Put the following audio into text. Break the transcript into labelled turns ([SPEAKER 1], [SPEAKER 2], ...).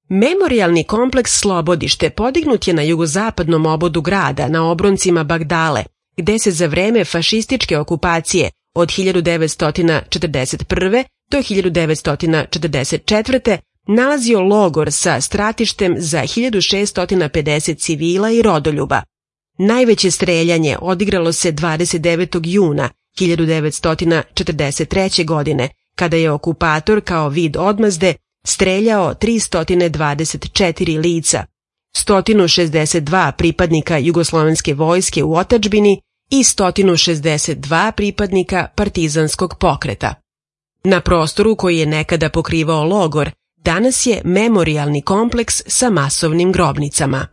[SPEAKER 1] Memorijalni kompleks Slobodište podignut je na jugozapadnom obodu grada na obroncima Bagdale, gde se za vreme fašističke okupacije od 1941. do 1944. nalazio logor sa stratištem za 1650 civila i rodoljuba. Najveće streljanje odigralo se 29. juna 1943. godine, kada je okupator kao vid odmazde streljao 324 lica, 162 pripadnika jugoslovenske vojske u otadžbini i 162 pripadnika partizanskog pokreta. Na prostoru koji je nekada pokrivao logor, danas je memorijalni kompleks sa masovnim grobnicama.